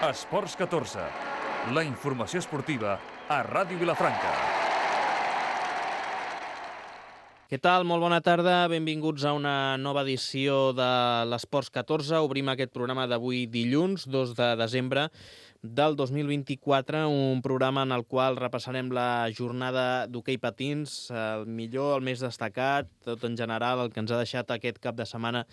Esports 14, la informació esportiva a Ràdio Vilafranca. Què tal? Molt bona tarda. Benvinguts a una nova edició de l'Esports 14. Obrim aquest programa d'avui dilluns, 2 de desembre del 2024, un programa en el qual repassarem la jornada d'hoquei patins, el millor, el més destacat, tot en general, el que ens ha deixat aquest cap de setmana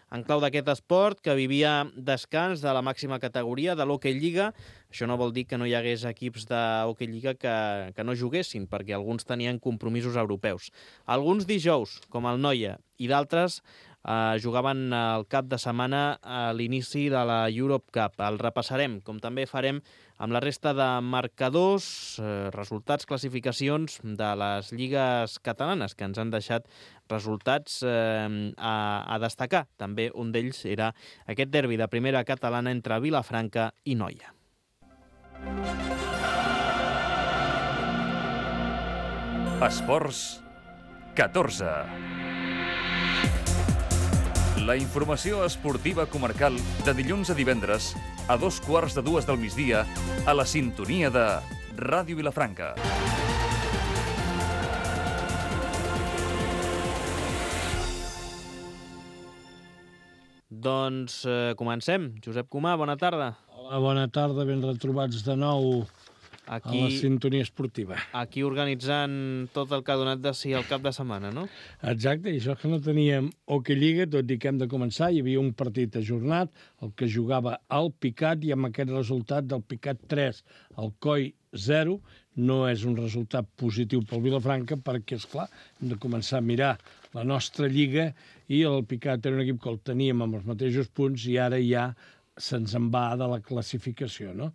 en clau d'aquest esport, que vivia descans de la màxima categoria de l'Hockey Lliga. Això no vol dir que no hi hagués equips d'Hockey Lliga que no juguessin, perquè alguns tenien compromisos europeus. Alguns dijous, com el Noia, i d'altres jugaven el cap de setmana a l'inici de la Europe Cup. El repassarem, com també farem amb la resta de marcadors, resultats, classificacions de les lligues catalanes, que ens han deixat resultats a destacar. També un d'ells era aquest derbi de primera catalana entre Vilafranca i Noia. Esports 14. La informació esportiva comarcal de dilluns a divendres a 2:15 del migdia a la sintonia de Ràdio Vilafranca. Doncs comencem. Josep Comà, bona tarda. Hola, bona tarda, ben retrobats de nou aquí, a la sintonia esportiva. Aquí organitzant tot el que ha donat de si el cap de setmana, no? Exacte, i això que no teníem Hockey Lliga, tot i que hem de començar, hi havia un partit ajornat, el que jugava al Picat, i amb aquest resultat del Picat 3, el Coi 0, no és un resultat positiu pel Vilafranca, perquè, esclar, hem de començar a mirar la nostra lliga, i el Picat era un equip que el teníem amb els mateixos punts, i ara ja se'ns en va de la classificació, no?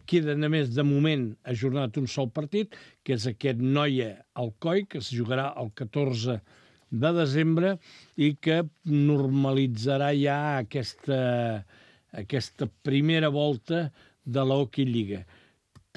Queda, només, de moment, ajornat un sol partit, que és aquest Noia-Alcoi, que es jugarà el 14 de desembre i que normalitzarà ja aquesta primera volta de la Hockey Lliga.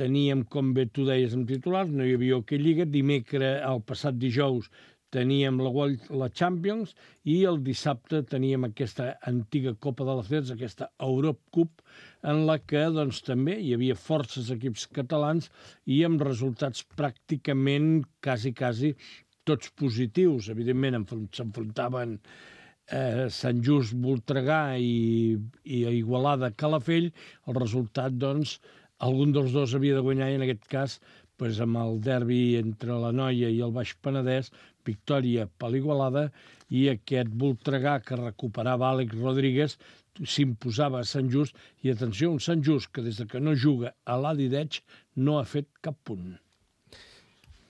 Teníem, com bé tu deies, en titulars, no hi havia Hockey Lliga. Dimecres, el passat dijous, teníem la Champions, i el dissabte teníem aquesta antiga Copa de les Llets, aquesta Europe Cup, en la que doncs, també hi havia forces equips catalans i amb resultats pràcticament quasi tots positius. Evidentment s'enfrontaven Sant Just Voltregà i Igualada Calafell. El resultat, doncs, algun dels dos havia de guanyar, i en aquest cas, amb el derbi entre la Noia i el Baix Penedès, victòria per l'Igualada, i aquest Voltregà, que recuperava Àlex Rodríguez, s'imposava a Sant Just, i atenció, un Sant Just que des que no juga a l'Adideig no ha fet cap punt.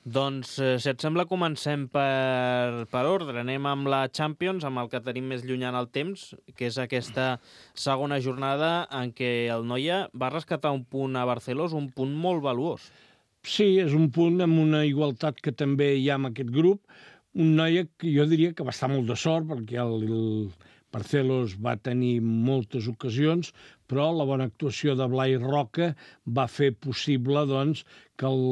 Doncs, si et sembla, comencem per ordre. Anem amb la Champions, amb el que tenim més lluny en el temps, que és aquesta segona jornada en què el Noia va rescatar un punt a Barcelona, un punt molt valuós. Sí, és un punt amb una igualtat que també hi ha en aquest grup. Un Noia que jo diria que va estar molt de sort, perquè el Barcelos va tenir moltes ocasions, però la bona actuació de Blai Roca va fer possible, doncs, que el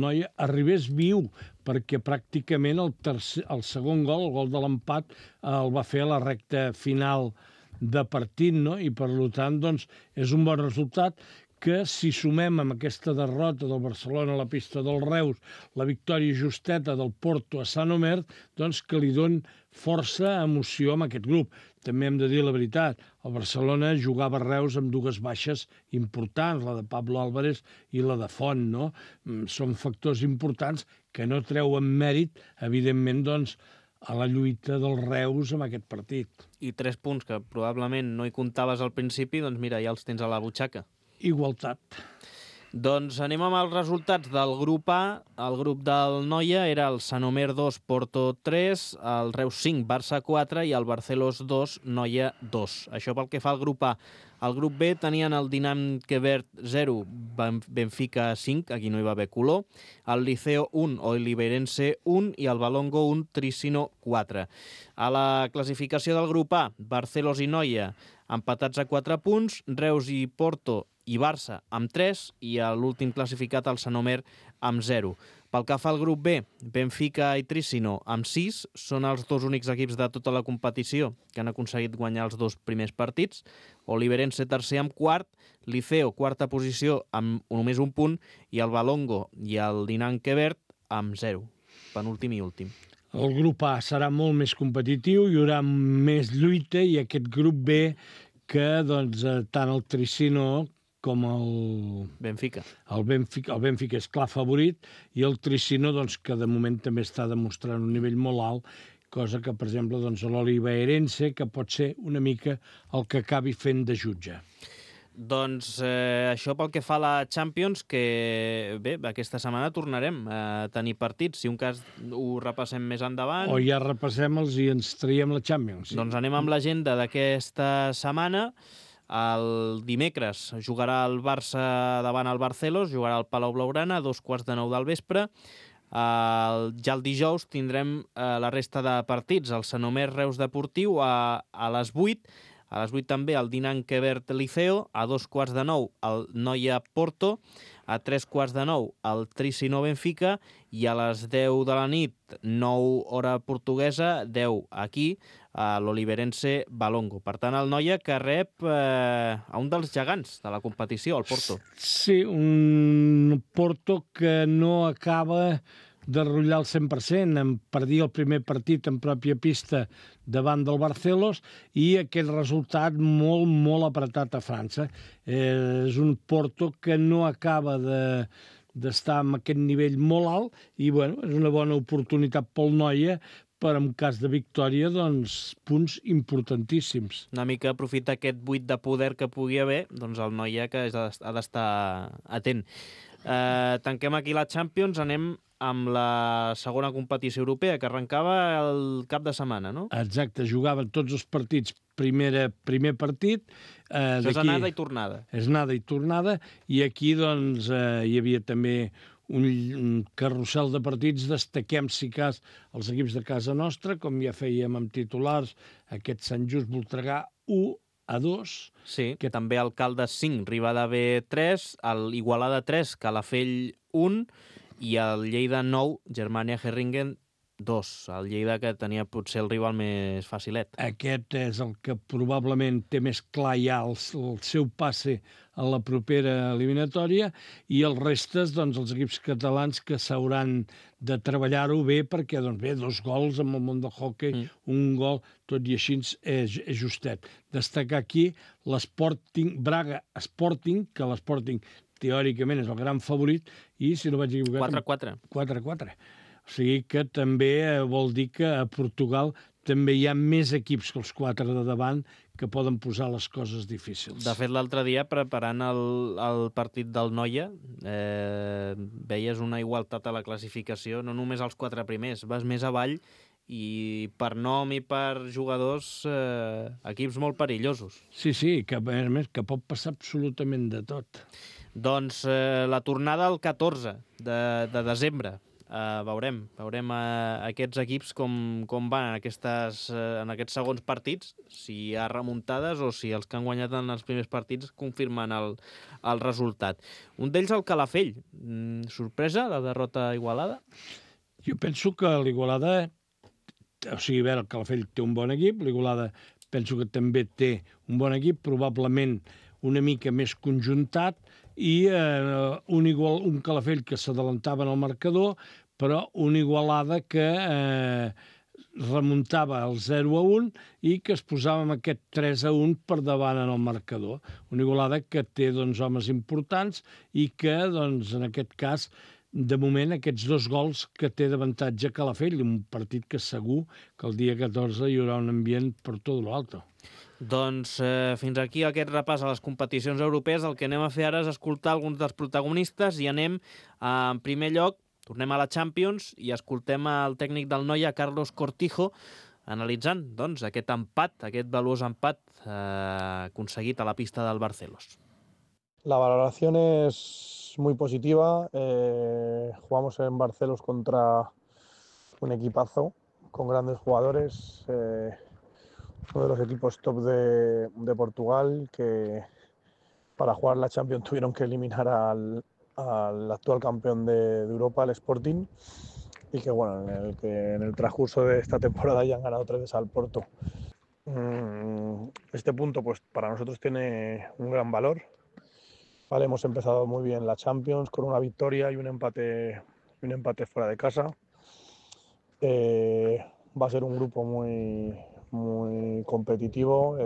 Noia arribés viu, perquè pràcticament el segon gol, el gol de l'empat, el va fer a la recta final de partit, no? I per tant, doncs, és un bon resultat, que si sumem amb aquesta derrota del Barcelona a la pista del Reus, la victòria justeta del Porto a Sant Omer, doncs que li don força emoció amb aquest grup. També hem de dir la veritat, el Barcelona jugava a Reus amb dues baixes importants, la de Pablo Álvarez i la de Font, no? Són factors importants que no treuen mèrit, evidentment, doncs, a la lluita del Reus amb aquest partit. I 3 punts que probablement no hi comptaves al principi, doncs mira, ja els tens a la butxaca. Igualtat. Doncs anem amb els resultats del grup A. El grup del Noia era el Sant Omer 2, Porto 3, el Reus 5, Barça 4 i el Barcelos 2, Noia 2. Això pel que fa al grup A. Al grup B tenien el Dinam Quevert 0, Benfica 5, aquí no hi va haver color, el Liceo 1, Oliverense 1 i el Balongo 1, Tricino 4. A la classificació del grup A, Barcelos i Noia empatats a 4 punts, Reus i Porto i Barça amb 3 i l'últim classificat, el Sant Omer, amb 0. Pel que fa al grup B, Benfica i Trissino amb 6 són els dos únics equips de tota la competició que han aconseguit guanyar els 2 primers partits. Oliverense tercer amb quart, Liceo quarta posició amb només un punt i el Valongo i el Dinant Quebert amb 0, penúltim i últim. El grup A serà molt més competitiu, hi haurà més lluita i aquest grup B que doncs, tant el Trissino com el Benfica. El Benfica és clar favorit i el Trissino, doncs, que de moment també està demostrant un nivell molt alt, cosa que, per exemple, doncs, l'Oliveirense, que pot ser una mica el que acabi fent de jutge. Doncs això pel que fa a la Champions, que bé, aquesta setmana tornarem a tenir partits. Si un cas ho repassem més endavant... O ja repassem-los i ens traiem la Champions. Sí. Doncs anem amb l'agenda d'aquesta setmana. El dimecres jugarà el Barça davant el Barcelos, jugarà al Palau Blaugrana a 2:15 del vespre. Ja el dijous tindrem la resta de partits. El Sanomés Reus Deportiu a les 8. A les 8 també el Dinant Quebert Liceo, a 2:15 el Noia Porto, a 3:15 el Trissino Benfica i a les 10 de la nit, 9 hora portuguesa, 10 aquí, a l'Oliverense Valongo. Per tant, el Noia que rep a un dels gegants de la competició, el Porto. Sí, un Porto que no acaba de rotllar al 100%, en perdia el primer partit en pròpia pista davant del Barcelos i aquest resultat molt, molt apretat a França. És un Porto que no acaba d'estar en aquest nivell molt alt i bueno, és una bona oportunitat pel Noia per, en cas de victòria, doncs, punts importantíssims. Una mica aprofita aquest buit de poder que pugui haver, doncs el Noia que ha d'estar atent. Tanquem aquí la Champions, anem amb la segona competició europea, que arrencava el cap de setmana, no? Exacte, jugaven tots els partits, primer partit. Això és anada i tornada. És anada i tornada, i aquí doncs, hi havia també un carrusel de partits. Destaquem, si cas, els equips de casa nostra, com ja fèiem amb titulars, aquest Sant Just Voltregà 1-2. Sí, que també el Caldes 5, Ribada B 3, l'Igualada 3, Calafell 1, i el Lleida 9, Germania Herringen 2. El Lleida que tenia potser el rival més facilet. Aquest és el que probablement té més clar ja el seu passe a la propera eliminatòria i els restes, doncs, els equips catalans que s'hauran de treballar-ho bé perquè, doncs bé, 2 gols amb el món del hoquei, un gol, tot i així és justet. Destacar aquí l'Sporting, Braga Sporting, que l'Sporting teòricament és el gran favorit, i, si no vaig equivocar... 4-4. 4-4. O sigui que també vol dir que a Portugal també hi ha més equips que els 4 de davant que poden posar les coses difícils. De fet, l'altre dia, preparant el partit del Noia, veies una igualtat a la classificació, no només als 4 primers, vas més avall i per nom i per jugadors, equips molt perillosos. Sí, que a més que pot passar absolutament de tot. Doncs la tornada el 14 de desembre. Veurem aquests equips com van en aquests segons partits, si hi ha remuntades o si els que han guanyat en els primers partits confirmen el resultat. Un d'ells el Calafell. Sorpresa, la derrota a Igualada? Jo penso que l'Igualada, o sigui, a veure, el Calafell té un bon equip, l'Igualada penso que també té un bon equip, probablement una mica més conjuntat, i un Calafell que s'adelantava en el marcador, però una Igualada que remuntava el 0-1 i que es posava amb aquest 3-1 per davant en el marcador. Una Igualada que té, doncs, homes importants i que, doncs, en aquest cas, de moment, aquests 2 gols que té d'avantatge Calafell, un partit que segur que el dia 14 hi haurà un ambient per tot l'alto. Doncs fins aquí aquest repàs a les competicions europees. El que anem a fer ara és escoltar alguns dels protagonistes i anem, en primer lloc, tornem a la Champions i escoltem el tècnic del Noia, Carlos Cortijo, analitzant doncs, aquest empat, aquest valuós empat aconseguit a la pista del Barcelos. La valoración es muy positiva. Jugamos en Barcelos contra un equipazo con grandes jugadores. Uno de los equipos top de Portugal, que para jugar la Champions tuvieron que eliminar al al actual campeón de Europa, el Sporting, y que bueno, en el transcurso de esta temporada ya han ganado 3 veces al Porto. Este punto pues para nosotros tiene un gran valor. Vale, hemos empezado muy bien la Champions con una victoria y un empate fuera de casa. Va a ser un grupo muy competitivo.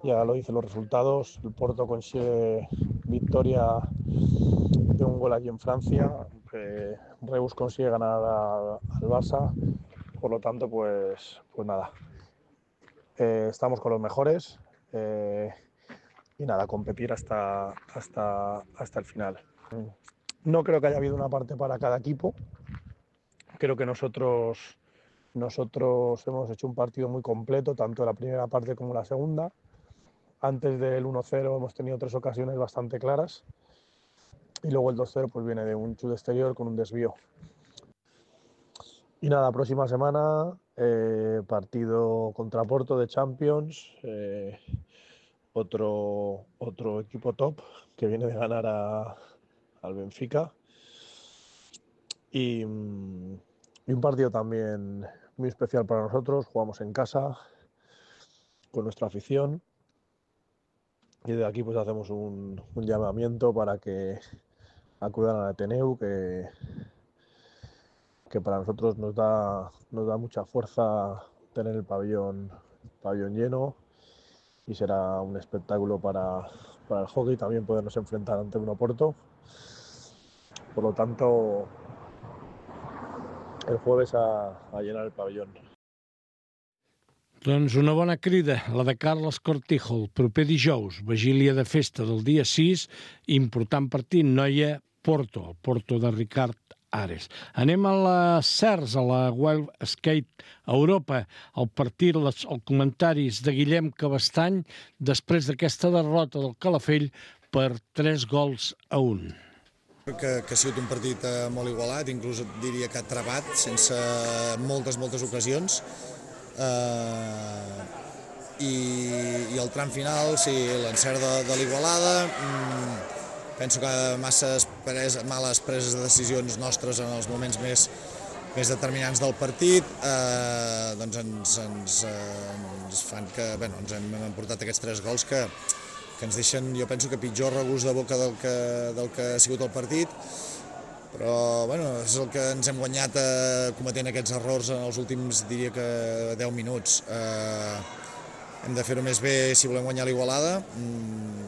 Ya lo dicen los resultados. El Porto consigue victoria de un gol aquí en Francia. Reus consigue ganar al Barça. Por lo tanto, pues nada. Estamos con los mejores. Y nada, competir hasta el final. No creo que haya habido una parte para cada equipo. Creo que nosotros hemos hecho un partido muy completo, tanto la primera parte como la segunda. Antes del 1-0 hemos tenido 3 ocasiones bastante claras. Y luego el 2-0 pues viene de un chute exterior con un desvío. Y nada, próxima semana, partido contra Porto de Champions. Otro equipo top que viene de ganar al Benfica. Y un partido también muy especial para nosotros. Jugamos en casa con nuestra afición y desde aquí pues hacemos un llamamiento para que acudan al Ateneu, que para nosotros nos da mucha fuerza tener el pabellón lleno, y será un espectáculo para el hockey también podernos enfrentar ante un Oporto. Por lo tanto, el jueves a llenar el pabellón. Doncs una bona crida, la de Carles Cortijo, el proper dijous, vigília de festa del dia 6, important partit, Noia-Porto, el Porto de Ricard Ares. Anem a les CERS, a la Wild Skate Europa, el partit, els comentaris de Guillem Cabestany després d'aquesta derrota del Calafell per 3-1. Que ha sigut un partit molt igualat, inclús diria que travat, sense moltes ocasions. I el tram final, sí, l'encert de l'Igualada. Penso que masses males preses de decisions nostres en els moments més determinants del partit doncs ens fan que ens hem emportat aquests 3 gols que ens deixen, jo penso que pitjor regust de boca del que ha sigut el partit, però és el que ens hem guanyat cometent aquests errors en els últims, diria que 10 minuts. Hem de fer-ho més bé si volem guanyar l'Igualada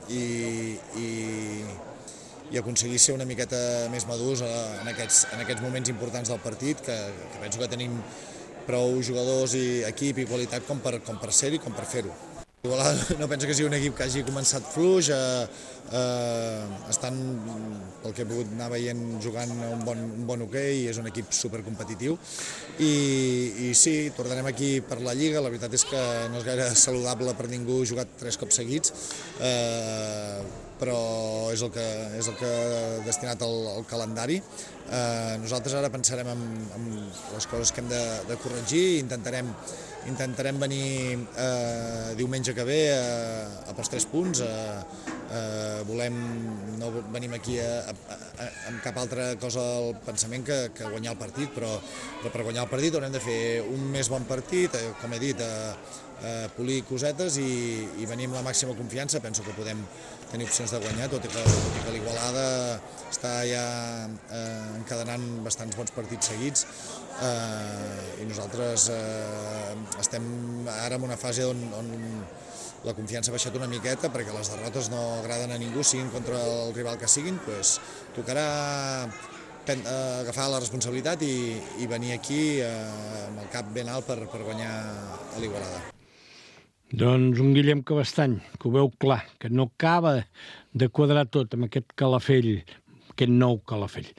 i aconseguir ser una miqueta més madurs en aquests moments importants del partit, que penso que tenim prou jugadors i equip i qualitat com per ser-hi i com per fer-ho. L'Igualada no penso que sigui un equip que hagi començat fluix, estan, pel que he pogut anar veient, jugant un bon hoquei, és un equip supercompetitiu i sí, tornarem aquí per la Lliga. La veritat és que no és gaire saludable per ningú jugar 3 cops seguits, però és el que ha destinat el calendari. Nosaltres ara pensarem en les coses que hem de corregir i intentarem venir diumenge que ve pels 3 punts. No venim aquí amb cap altra cosa al pensament que guanyar el partit, però per guanyar el partit haurem de fer un més bon partit, com he dit, polir cosetes i venir amb la màxima confiança. Penso que podem tenir opcions de guanyar, tot i que l'Igualada està ja encadenant bastants bons partits seguits i nosaltres estem ara en una fase on la confiança ha baixat una miqueta perquè les derrotes no agraden a ningú, siguin contra el rival que siguin, doncs tocarà agafar la responsabilitat i venir aquí amb el cap ben alt per guanyar a l'Igualada. Doncs un Guillem Cabestany, que ho veu clar, que no acaba de quadrar tot amb aquest Calafell, aquest nou Calafell.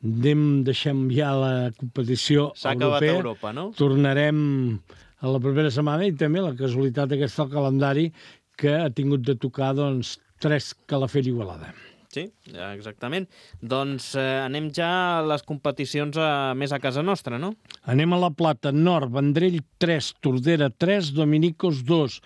Deixem ja la competició europea. S'ha acabat Europa, no? Tornarem a la propera setmana i també la casualitat aquesta del calendari que ha tingut de tocar 3 Calafell Igualada. Sí, exactament. Doncs anem ja a les competicions més a casa nostra, no? Anem a la Plata, Nord, Vendrell 3, Tordera 3, Dominicos 2,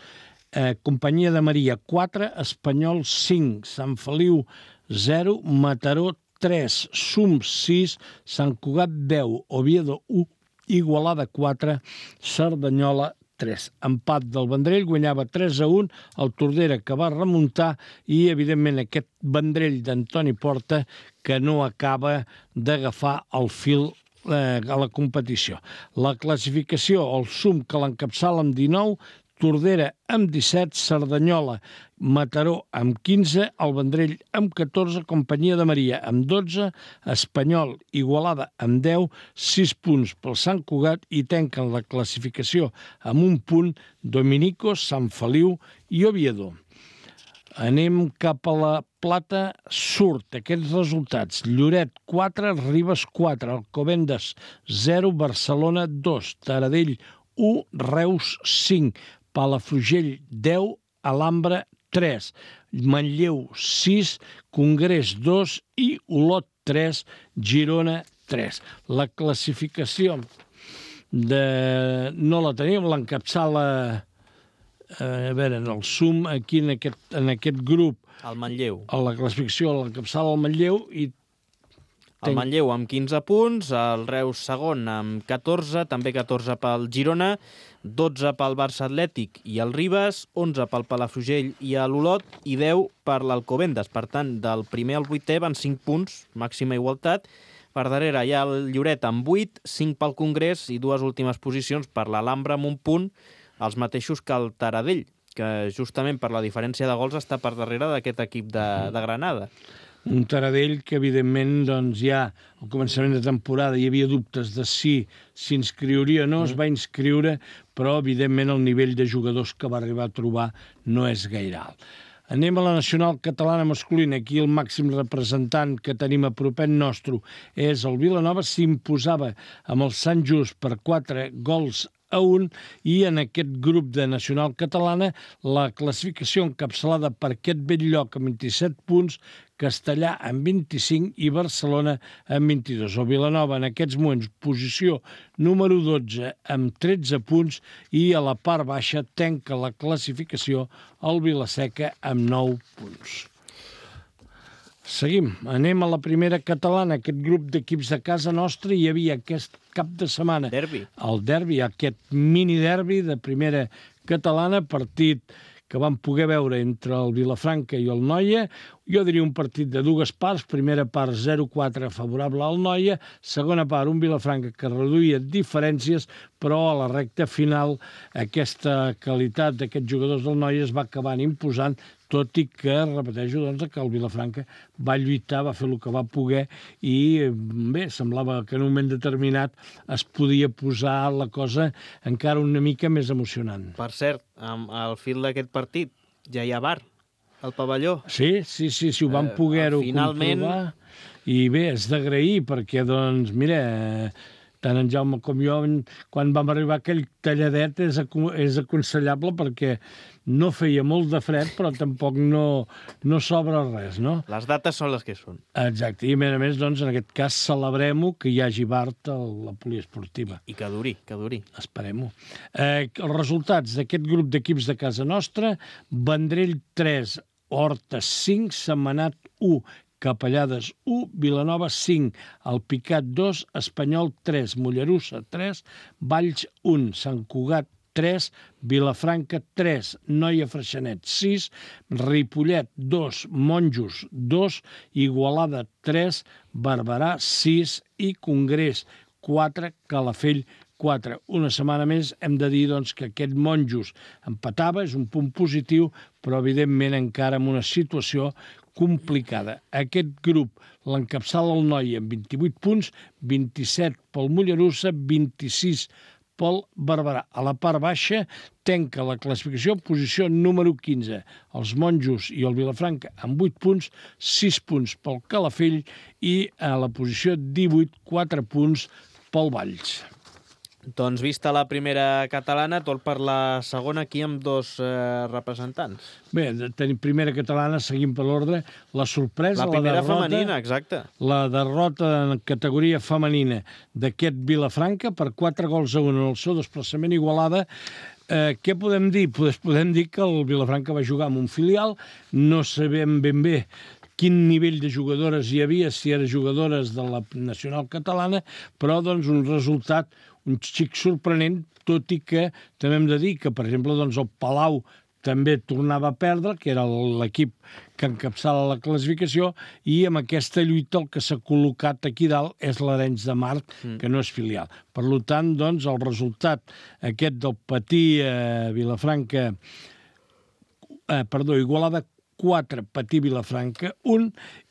Companyia de Maria 4, Espanyol 5, Sant Feliu 0, Mataró 3, SUM 6, Sant Cugat 10, Oviedo 1, Igualada 4, Cerdanyola 3. Empat del Vendrell, guanyava 3-1, el Tordera que va remuntar i, evidentment, aquest Vendrell d'Antoni Porta que no acaba d'agafar el fil a la competició. La classificació, el SUM que l'encapçala amb 19, Tordera amb 17, Cerdanyola, Mataró amb 15, el Vendrell amb 14, Companyia de Maria amb 12, Espanyol, Igualada amb 10, 6 punts pel Sant Cugat i tanquen la classificació amb un punt Dominicos, Sant Feliu i Oviedo. Anem cap a la Plata, surt aquests resultats. Lloret 4, Ribes 4, Alcobendas 0, Barcelona 2, Taradell 1, Reus 5, Palafrugell 10, Alhambra 3, Manlleu 6, Congrés 2 i Olot 3, Girona 3. La classificació no la tenim, l'encapçala en el SUM aquí en aquest grup. El Manlleu. A la classificació l'encapçala el Manlleu i el Manlleu amb 15 punts, el Reus segon amb 14, també 14 pel Girona, 12 pel Barça Atlètic i el Ribes, 11 pel Palafrugell i l'Olot i 10 per l'Alcobendas. Per tant, del primer al 8è van 5 punts, màxima igualtat. Per darrere hi ha el Lloret amb 8, 5 pel Congrés i 2 últimes posicions per l'Alhambra amb un punt, els mateixos que el Taradell, que justament per la diferència de gols està per darrere d'aquest equip de Granada. Un Taradell que, evidentment, doncs, ja al començament de temporada hi havia dubtes de si s'inscriuria o no, es va inscriure, però, evidentment, el nivell de jugadors que va arribar a trobar no és gaire alt. Anem a la nacional catalana masculina. Aquí el màxim representant que tenim a propet nostre és el Vilanova. S'imposava amb el Sant Just per 4-1 i en aquest grup de nacional catalana la classificació encapçalada per aquest bell lloc amb 27 punts, Castellà amb 25 i Barcelona amb 22. El Vilanova en aquests moments posició número 12 amb 13 punts i a la part baixa tanca la classificació el Vilaseca amb 9 punts. Seguim, anem a la primera catalana, aquest grup d'equips de casa nostra. Hi havia aquest cap de setmana el derbi, aquest mini derbi de primera catalana, partit que vam poder veure entre el Vilafranca i el Noia. Jo diria un partit de dues parts, primera part 0-4 favorable al Noia, segona part un Vilafranca que reduïa diferències, però a la recta final aquesta qualitat d'aquests jugadors del Noia es va acabar imposant, tot i que, repeteixo, doncs, que el Vilafranca va lluitar, va fer el que va poder i, bé, semblava que en un moment determinat es podia posar la cosa encara una mica més emocionant. Per cert, al fil d'aquest partit ja hi ha bar al pavelló. Sí, ho vam poder-ho comprovar. I bé, és d'agrair perquè, doncs, mira, tant en Jaume com jo, quan vam arribar a aquell talladet és aconsellable perquè no feia molt de fred, però tampoc no sobra res, no? Les dates són les que són. Exacte, i a més, doncs, en aquest cas celebrem-ho, que hi hagi Bart a la poliesportiva. I que duri. Esperem-ho. Els resultats d'aquest grup d'equips de casa nostra: Vendrell 3, Horta 5, Sentmenat 1, Capellades 1, Vilanova 5, Alpicat 2, Espanyol 3, Mollerussa 3, Valls 1, Sant Cugat 3, Vilafranca 3, Noia Freixenet 6, Ripollet 2, Monjos 2, Igualada 3, Barberà 6 i Congrés 4, Calafell 4. Una setmana més hem de dir, doncs, que aquest Monjos empatava, és un punt positiu, però evidentment encara en una situació complicada. Aquest grup l'encapçala el Noia amb 28 punts, 27 pel Mollerussa, 26 pel Barberà. A la part baixa tanca la classificació posició número 15. Els Monjos i el Vilafranca amb 8 punts, 6 punts pel Calafell i a la posició 18, 4 punts pel Valls. Doncs vista la primera catalana, tot per la segona aquí amb dos representants. Bé, tenim primera catalana, seguim per l'ordre. La sorpresa, la primera femenina, exacte. La derrota en categoria femenina d'aquest Vilafranca per 4-1 en el seu desplaçament a Igualada. Què podem dir? Podem dir que el Vilafranca va jugar amb un filial, no sabem ben bé quin nivell de jugadores hi havia, si eren jugadores de la nacional catalana, però doncs un resultat un xic sorprenent, tot i que també hem de dir que, per exemple, doncs el Palau també tornava a perdre, que era l'equip que encapçala la classificació, i amb aquesta lluita el que s'ha col·locat aquí dalt és l'Arenys de Mar, que no és filial. Per tant, doncs, el resultat aquest del Patí Vilafranca, Igualada 4, Patí Vilafranca 1,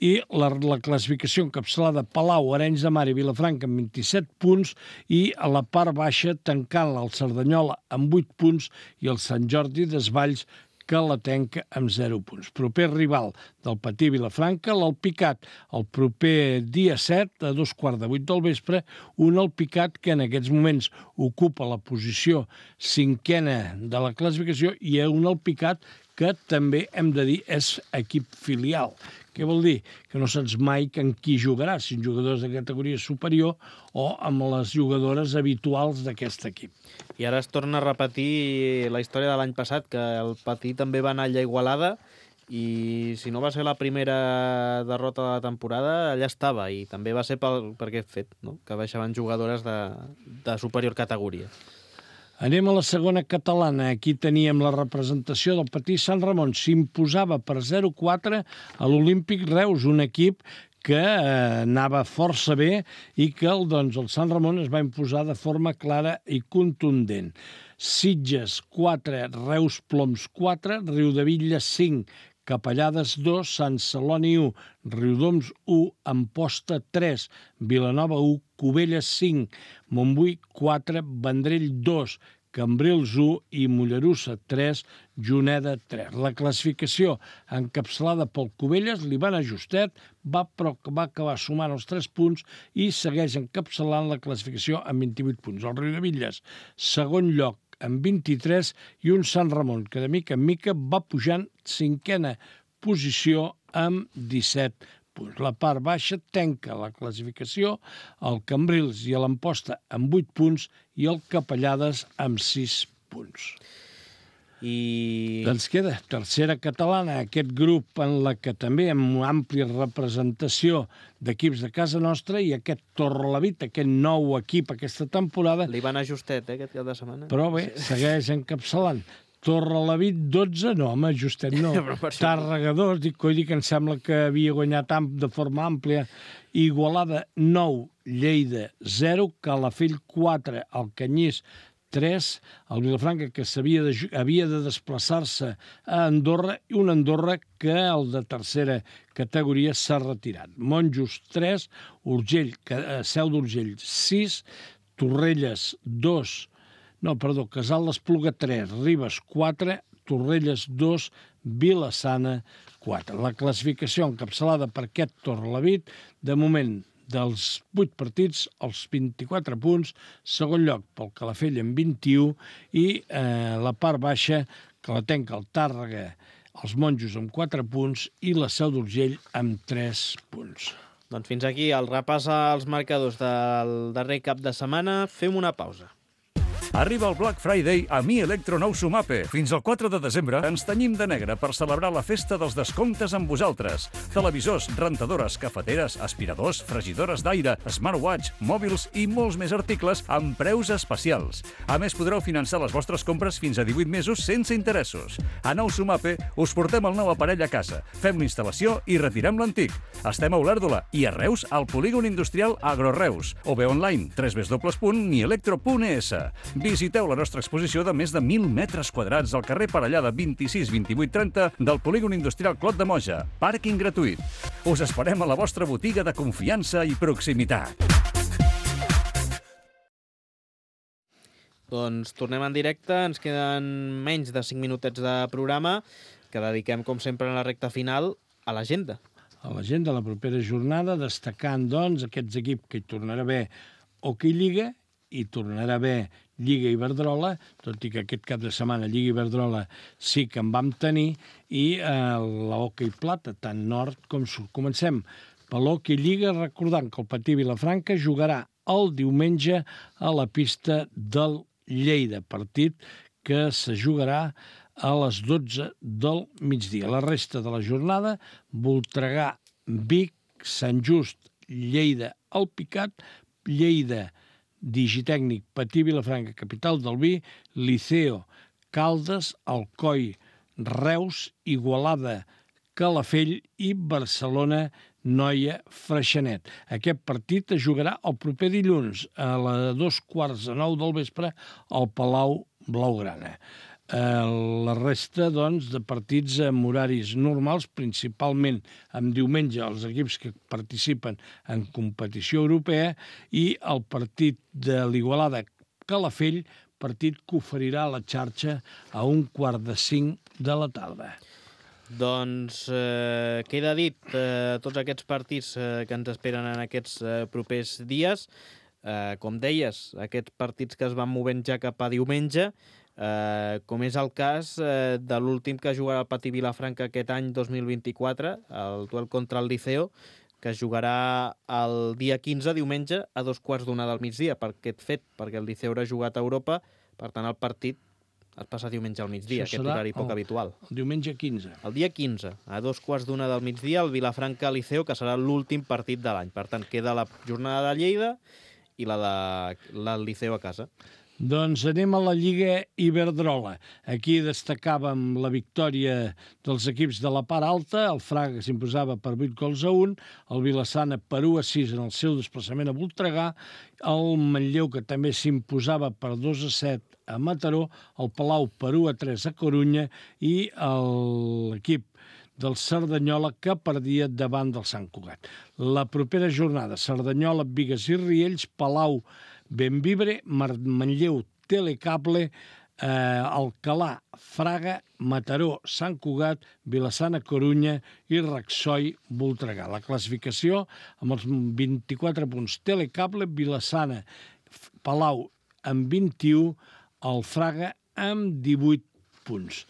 i la classificació encapçalada Palau, Arenys de Mar i Vilafranca amb 27 punts, i a la part baixa tancant-la el Cerdanyola amb 8 punts i el Sant Jordi Desvalls, que la tanca amb 0 punts. Proper rival del Patí Vilafranca, l'Alpicat, el proper dia 7, a 7:15 del vespre, un Alpicat que en aquests moments ocupa la posició 5a de la classificació, i un Alpicat que també hem de dir és equip filial. Què vol dir? Que no saps mai amb qui jugarà, si en jugadors de categoria superior o amb les jugadores habituals d'aquest equip. I ara es torna a repetir la història de l'any passat, que el Patí també va anar allà a Igualada, i si no va ser la primera derrota de la temporada, allà estava, i també va ser per aquest fet, no? Que baixaven jugadores de superior categoria. Anem a la segona catalana. Aquí teníem la representació del Patí Sant Ramon. S'imposava per 0-4 a l'Olímpic Reus, un equip que anava força bé i que el Sant Ramon es va imposar de forma clara i contundent. Sitges 4, Reus Ploms 4, Riudebitlles 5, Capellades 2, Sant Celoni 1, Riudoms 1, Amposta 3, Vilanova 1, Cubelles 5, Montbui 4, Vendrell 2, Cambrils 1 i Mollerussa 3, Juneda 3. La classificació encapçalada pel Cubelles, l'Ivan Ajustet, va acabar sumant els 3 punts i segueix encapçalant la classificació amb 28 punts. El Riudebitlles, segon lloc, amb 23, i un Sant Ramon, que de mica en mica va pujant 5a posició amb 17 punts. La part baixa tanca la classificació el Cambrils i l'Amposta amb 8 punts i el Capellades amb 6 punts. I Doncs queda tercera catalana, aquest grup en la que també amb una àmplia representació d'equips de casa nostra, i aquest Torrelavit, aquest nou equip aquesta temporada, l'Ivan Ajustet, aquest cap de setmana. però bé, segueix encapçalant. Torrelavit 12, no, home, Justet no. Tàrrega 2, dic que em sembla que havia guanyat de forma àmplia. Igualada 9, Lleida 0, Calafell 4, Alcanyís 3, el Vilafranca, que havia de desplaçar-se a Andorra, i un Andorra que el de tercera categoria s'ha retirat. Monjos 3, Seu d'Urgell 6, Torrelles 2, Casal d'Espluga 3, Ribes 4, Torrelles 2, Vila-sana 4. La classificació encapçalada per aquest Torrelavit, de moment, dels 8 partits, els 24 punts, segon lloc pel Calafell amb 21, i la part baixa, que la tanca el Tàrrega, els Monjos amb 4 punts i la Seu d'Urgell amb 3 punts. Doncs fins aquí el repàs als marcadors del darrer cap de setmana. Fem una pausa. Arriba el Black Friday a Mi Electro Nou Sumape. Fins al 4 de desembre ens tenyim de negre per celebrar la festa dels descomptes amb vosaltres. Televisors, rentadores, cafeteres, aspiradors, fregidores d'aire, smartwatch, mòbils i molts més articles amb preus especials. A més, podreu finançar les vostres compres fins a 18 mesos sense interessos. A Nou Sumape us portem el nou aparell a casa, fem l'instal·lació i retirem l'antic. Estem a Olèrdola i a Reus al polígon industrial Agroreus, o bé online www.mielectro.es. Visiteu la nostra exposició de més de 1.000 metres quadrats al carrer Parellada 26 28 30 del polígon industrial Clot de Moja. Pàrquing gratuït. Us esperem a la vostra botiga de confiança i proximitat. Doncs tornem en directe, ens queden menys de 5 minutets de programa que dediquem, com sempre, en la recta final a l'agenda. A l'agenda de la propera jornada, destacant, doncs, aquests equips que hi tornarà a haver Hockey Lliga, i tornarà a haver Lliga Iberdrola, tot i que aquest cap de setmana Lliga Iberdrola sí que en vam tenir, i l'Hockey Plata, tant nord com sud. Comencem per l'Hockey Lliga, recordant que el Patí Vilafranca jugarà el diumenge a la pista del Lleida, partit que se jugarà a les 12 del migdia. La resta de la jornada, Voltregà, Vic, Sant Just, Lleida, Alpicat, Lleida, Digitècnic, Patí, Vilafranca, capital del vi, Liceo, Caldes, Alcoi, Reus, Igualada, Calafell i Barcelona, Noia, Freixenet. Aquest partit es jugarà el proper dilluns a les 8:45 del vespre al Palau Blaugrana. La resta, doncs, de partits amb horaris normals, principalment amb diumenge els equips que participen en competició europea, i el partit de l'Igualada Calafell, partit que oferirà la xarxa a 4:45 de la tarda. Doncs queda dit tots aquests partits que ens esperen en aquests propers dies. Com deies, aquests partits que es van movent ja cap a diumenge, com és el cas de l'últim que jugarà el Patí Vilafranca aquest any 2024, el duel contra el Liceo, que es jugarà el dia 15, diumenge, a 2:15 del migdia, per aquest fet, perquè el Liceo haurà jugat a Europa, per tant el partit es passa diumenge al migdia, aquest horari poc habitual. El diumenge 15. El dia 15, a 2:15 del migdia, el Vilafranca-Liceo, que serà l'últim partit de l'any. Per tant, queda la jornada de Lleida i la del Liceo a casa. Doncs anem a la Lliga Iberdrola. Aquí destacàvem la victòria dels equips de la part alta. El Fraga s'imposava per 8-1, el Vilassana per 1-6 en el seu desplaçament a Voltregà, el Manlleu, que també s'imposava per 2-7 a Mataró, el Palau per 1-3 a Corunya, i l'equip del Cerdanyola, que perdia davant del Sant Cugat. La propera jornada, Cerdanyola, Bigues i Riells, Palau, Benvibre, Manlleu, Telecable, Alcalà, Fraga, Mataró, Sant Cugat, Vilassana, Corunya i Raxoi, Voltregà. La classificació amb els 24 punts. Telecable, Vilassana, Palau amb 21, el Fraga amb 18 punts.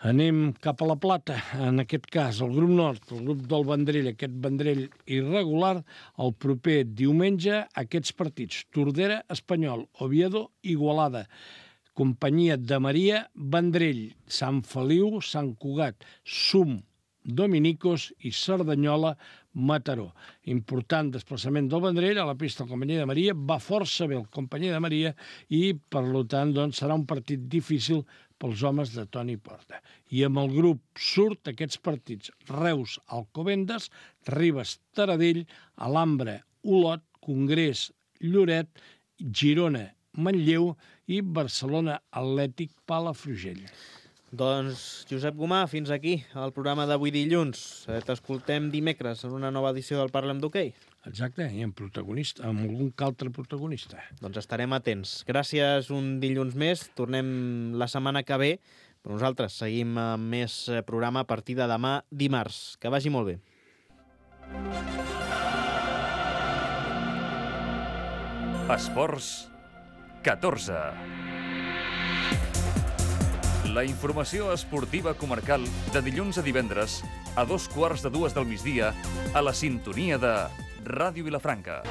Anem cap a la Plata, en aquest cas el grup nord, el grup del Vendrell, aquest Vendrell irregular, el proper diumenge aquests partits: Tordera, Espanyol, Oviedo, Igualada, Companyia de Maria, Vendrell, Sant Feliu, Sant Cugat, Sum, Dominicos i Cerdanyola, Mataró. Important desplaçament del Vendrell a la pista del Companyia de Maria, va força bé el Companyia de Maria i, per tant, doncs, serà un partit difícil pels homes de Toni Porta. I amb el grup surt aquests partits: Reus, Alcobendas, Ribes, Taradell, Alhambra, Olot, Congrés, Lloret, Girona, Manlleu i Barcelona Atlètic Palafrugell. Doncs, Josep Gomà, fins aquí el programa d'avui dilluns. T'escoltem dimecres en una nova edició del Parlem d'Hoquei. Exacte, i amb algun altre protagonista. Doncs estarem atents. Gràcies un dilluns més. Tornem la setmana que ve, però nosaltres seguim amb més programa a partir de demà dimarts. Que vagi molt bé. Esports 14. La informació esportiva comarcal de dilluns a divendres a 2:15 del migdia a la sintonia de Ràdio Vilafranca.